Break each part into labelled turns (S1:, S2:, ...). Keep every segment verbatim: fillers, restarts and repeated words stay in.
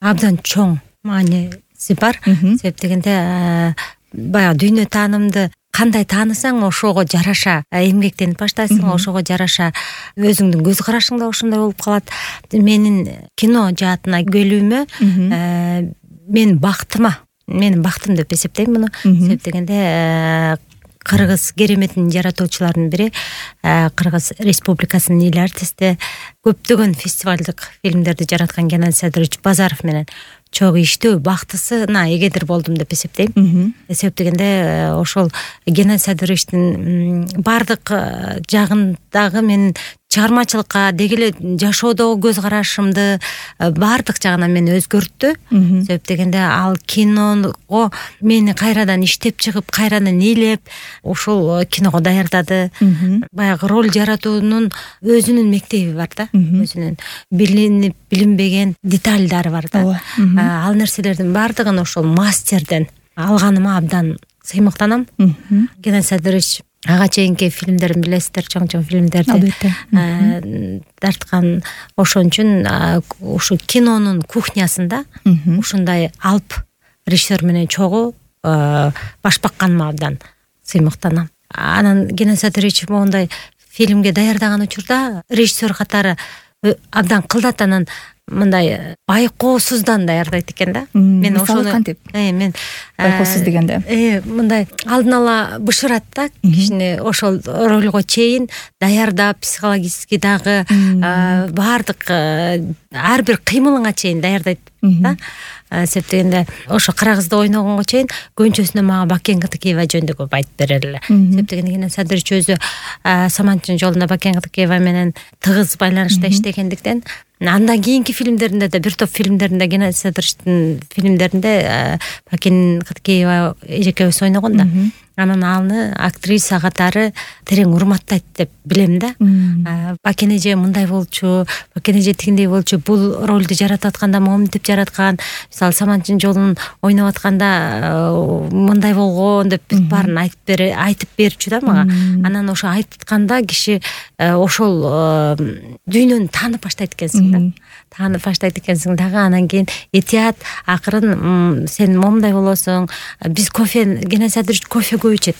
S1: абдан чоң мааниси бар. Себеп дегенде баягы дүйнө таанымды кандай таанысаң ошого жараша эмгектенип баштайсың, ошого жараша өзүңдүн көз карашың да ошондой болуп калат. Менин кино жаатына келүүмө мен бактыма, менин бактым деп эсептейм муну. Себеп дегенде Кыргыз кереметинин жаратуучуларынын бири, Кыргыз Республикасынын эл артисти, көптөгөн фестивалдык фильмдерди жараткан Геннадий Садырович Базаров менен чогуу иштөө бактысына эгедир болдум деп эсептейм. Себеп дегенде ошол Геннадий Садыровичтин бардык жагындагы менин чыгармачылыкка деги эле жашоодогу көз карашымды бардык жагынан мени өзгөрттү. Себеп дегенде ал киного мени кайрадан иштеп чыгып, кайрадан ээлеп, ошол киного даярдады. Баягы роль жаратуунун өзүнүн мектеби бар да, өзүнүн билинип билинбеген детальдары бар да. Ал нерселердин бардыгын ошол мастерден алганыма абдан сыймыктанам. Геннадий Садырович ага чейинки фильмдерин билесиздер, чоң-чоң фильмдерди тарткан. Ошон үчүн ушу кинонун кухнясында ушундай алып режиссер менен чогуу баш бакканыма абдан сыймыктанам. Анан Геннадий Садырович моундай фильмге даярдаган учурда режиссер катары абдан кылдат, анан мындай байкоосуздан даярдайт экен да. Мен ошону кантип? Э, мен
S2: байкоосуз дегенде
S1: э, мындай алдын ала бышырат да кишини ошол ролго чейин даярдап, психологически дагы баардык ар бир кыймылыңа чейин даярдайт да. Себеп дегенде ошо Кара кызды ойногонго чейин көбүнчөсүнө мага Бакен Кытыкеева жөнүндө көп айтып берер эле. Себеп дегенде Геннадий Садырович өзү Саманчынын жолунда Бакен Кытыкеева менен тыгыз байланышта иштегендиктен, андан кийинки фильмдеринде да, бир топ фильмдеринде, Геннадий Садыровичтин фильмдеринде Бакен Кытыкеева эжекебиз ойногон да. Анан аны актриса катары терең урматтайт деп билем да. Бакен эже мындай болчу, Бакен эже тигиндей болчу, бул ролду жаратып атканда моминтип жараткан. Мисалы Саманчынын жолун ойноп атканда мындай болгон деп баарын айтып бере, айтып берчү да мага. Анан ошо айтканда киши ошол дүйнөнү таанып баштайт экенсиң да. Таанып баштайт экенсиң дагы. Анан кийин этият акырын сен момундай болосуң. Биз кофе, Геннадий Садырович кофе көп ичет.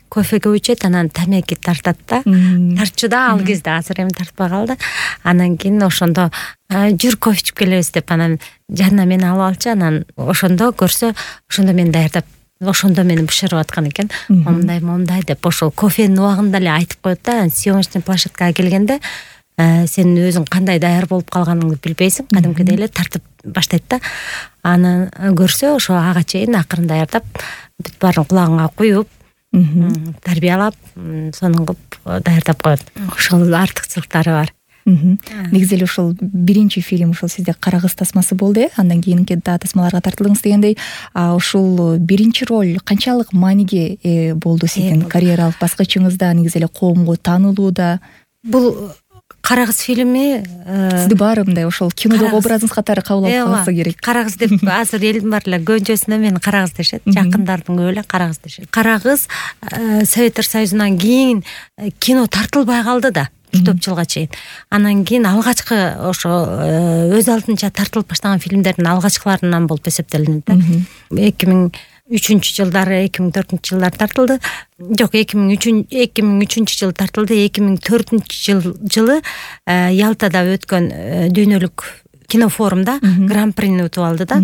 S1: Кофе көп ичет, анан тамеки тартат да. Тартчу да ал кезде, азыр эми тартпай калды. Анан кийин ошондо жүр кофе ичип келебиз деп анан жанына мени алып алчу. Анан ошондо көрсө, ошондо мени даярдап, ошондо мени бышырып аткан экен. Момундай, момундай деп ошол кофенин убагында эле айтып коет да. Съемочный площадкага келгенде сен өзүң кандай даяр болуп калганыңды билбейсиң, кадимкидей эле тартып баштайт да. Аны көрсө ошо ага чейин акырын даярдап, бүт баарын кулагыңа куюп, тарбиялап, сонун кылып даярдап коет. Ошол артыкчылыктары бар.
S2: Негизи эле ошол биринчи фильм ошол сизде Кара кыз тасмасы болду э, андан кийинки да тасмаларга тартылдыңыз дегендей. А ошол биринчи роль канчалык мааниге ээ болду сиздин карьералык баскычыңызда, негизи эле коомго таанылууда?
S1: Бул Кара кыз фильми
S2: сизди баары мындай ошол кинодогу образыңыз катары кабыл алып калса керек.
S1: Кара кыз деп азыр элдин баары эле көбүнчөсүнө мени Кара кыз дешет, жакындардын көбү эле Кара кыз дешет. Кара кыз Советтер Союзунан кийин кино тартылбай калды да, бир топ жылга чейин. Анан кийин алгачкы ошо өз алдынча тартылып баштаган фильмдердин алгачкыларынан болуп эсептелинет да. эки миң үчүнчү жылдары, эки миң төртүнчү жылдары тартылды. Жок, эки миң үчүнчү жылы тартылды. эки миң төртүнчү жылы Ялтада өткөн дүйнөлүк кинофорумда гран-прини утуп алды да.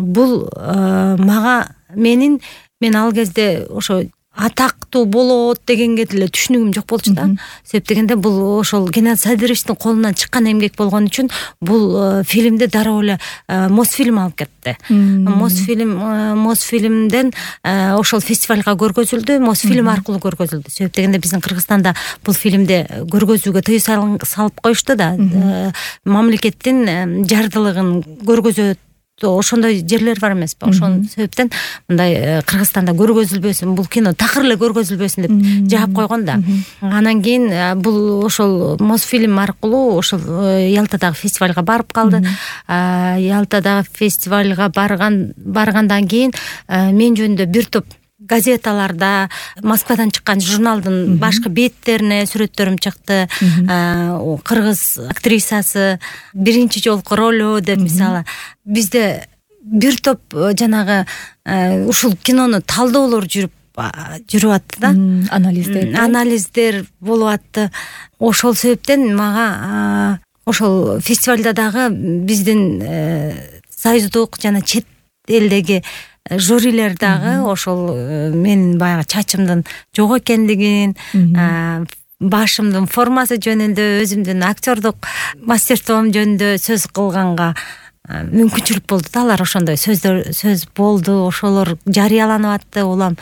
S1: Бул мага менин мен ал кезде ошо атактуу болот дегенге деле түшүнүгүм жок болчу да. Себеп дегенде бул ошол Геннадий Садыровичтин колунан чыккан эмгек болгон үчүн бул фильмди дароо эле Мосфильм алып кетти. Мосфильм Мосфильмден ошол фестивалга көргөзүлдү, Мосфильм аркылуу көргөзүлдү. Себеп дегенде биздин Кыргызстанда бул фильмди көргөзүүгө тыюу салып коюшту да. Мамлекеттин жардылыгын көргөзөт, ошондой жерлер бар эмеспи? Ошон себептен мындай Кыргызстанда көргөзүлбөсүн, бул кино такыр эле көргөзүлбөсүн деп жаап койгон да. Анан кийин бул ошол Мосфильм аркылуу ошол Ялтадагы фестивалга барып калды. Ялтадагы фестивалга барган баргандан кийин мен жөнүндө бир топ газеталарда, Москвадан чыккан журналдын башкы беттерине сүрөттөрүм чыкты. Кыргыз актрисасы биринчи жолку ролу деп, мисалы бизде бир топ жанагы ушул кинону талдоолор жүрүп жүрүп атты да,
S2: анализдер
S1: анализдер болуп атты. Ошол себептен мага ошол фестивалда дагы биздин союздук жана чет элдеги жюрилер дагы ошол менин баягы чачымдын жок экендигин, башымдын формасы жөнүндө, өзүмдүн актердук мастерством жөнүндө сөз кылганга мүмкүнчүлүк болду да. Алар ошондой сөздөр сөз болду, ошолор жарыяланып атты. Улам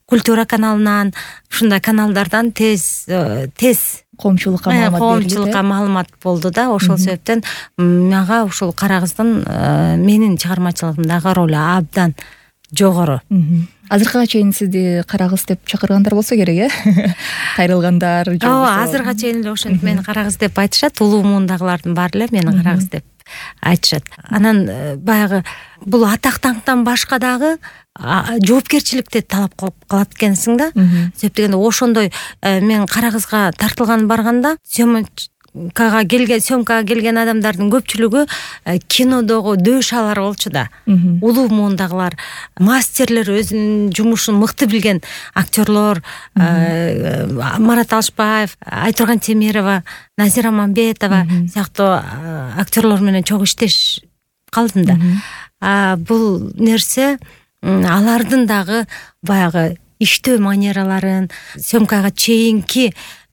S1: Культура каналынан, ушундай каналдардан тез тез
S2: коомчулукка маалымат берилди.
S1: Коомчулукка маалымат болду да. Ошол себептен мага ушул Кара кыздын менин чыгармачылыгымдагы ролу абдан жогору.
S2: Азыркыга чейин сизди Кара кыз деп чакыргандар болсо керек, э? Кайрылгандар.
S1: Ооба, азыркыга чейин эле ошентип мени Кара кыз деп айтышат. Улуу муундагылардын баары эле мени Кара кыз деп айтышат. Анан баягы бул атак даңктан башка дагы жоопкерчиликти талап кылып калат экенсиң да. Себеп дегенде ошондой мен Кара кызга тартылган барганда съемкага келген съемкага келген адамдардын көпчүлүгү кинодогу дөөшалар болчу да. Улуу муундагылар, мастерлер, өзүнүн жумушун мыкты билген актерлор, Марат Алышбаев, Айтурган Темирова, Назира Мамбетова сыяктуу актерлор менен чогуу иштеш калдым да. Бул нерсе алардын дагы баягы иштөө манераларын, съемкага чейинки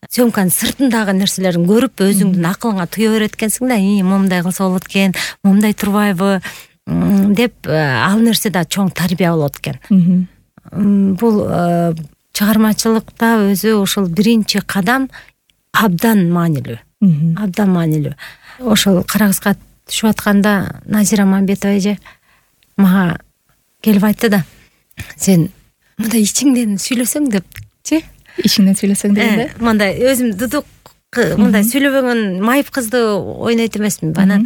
S1: съемканын сыртындагы нерселерин көрүп, өзүңдүн акылыңа туя берет экенсиң да. И момундай кылса болот экен, момундай турбайбы деп, ал нерсе да чоң тарбия болот экен. Бул чыгармачылыкта өзү ошол биринчи кадам абдан маанилүү. Абдан маанилүү. Ошол Кара кызга түшүп атканда Назира Мамбетова эже мага келип айтты да, сен мындай ичиңден сүйлөсөң депчи.
S2: Ичиңден сүйлөсөң дегенде?
S1: Мындай өзүм дудук мындай сүйлөбөгөн майып кызды ойнойт эмесмин. Анан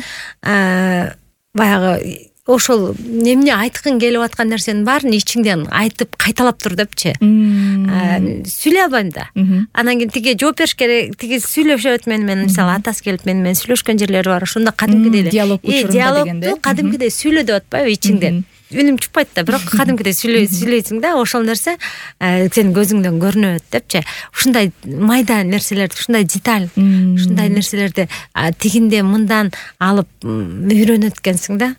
S1: баягы ошол эмне айткың келип аткан нерсенин баарын ичиңден айтып кайталап тур депчи. Сүйлөй албайм да. Анан кийин тиги жооп бериш керек, тиги сүйлөшөт мени менен, мисалы атасы келип мени менен сүйлөшкөн жерлери бар. Ошондо кадимкидей
S2: диалог учурунда дегенде.
S1: Кадимкидей сүйлө деп атпайбы ичиңден. Үнүм чыкпайт да, бирок кадимкидей сүйлөйсүң да. Ошол нерсе сенин көзүңдөн көрүнөт депчи. Ушундай майда нерселерди, ушундай деталь, ушундай нерселерди тигинде мындан алып үйрөнөт экенсиң да.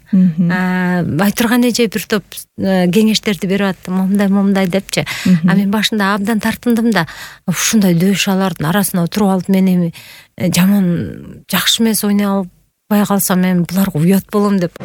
S1: Айтурган эже бир топ кеңештерди берип атты, момундай момундай депчи. А мен башында абдан тартындым да. Ушундай дөөшалардын арасына отуруп алып мени жаман жакшы эмес ойной албай калсам мен буларга уят болом деп.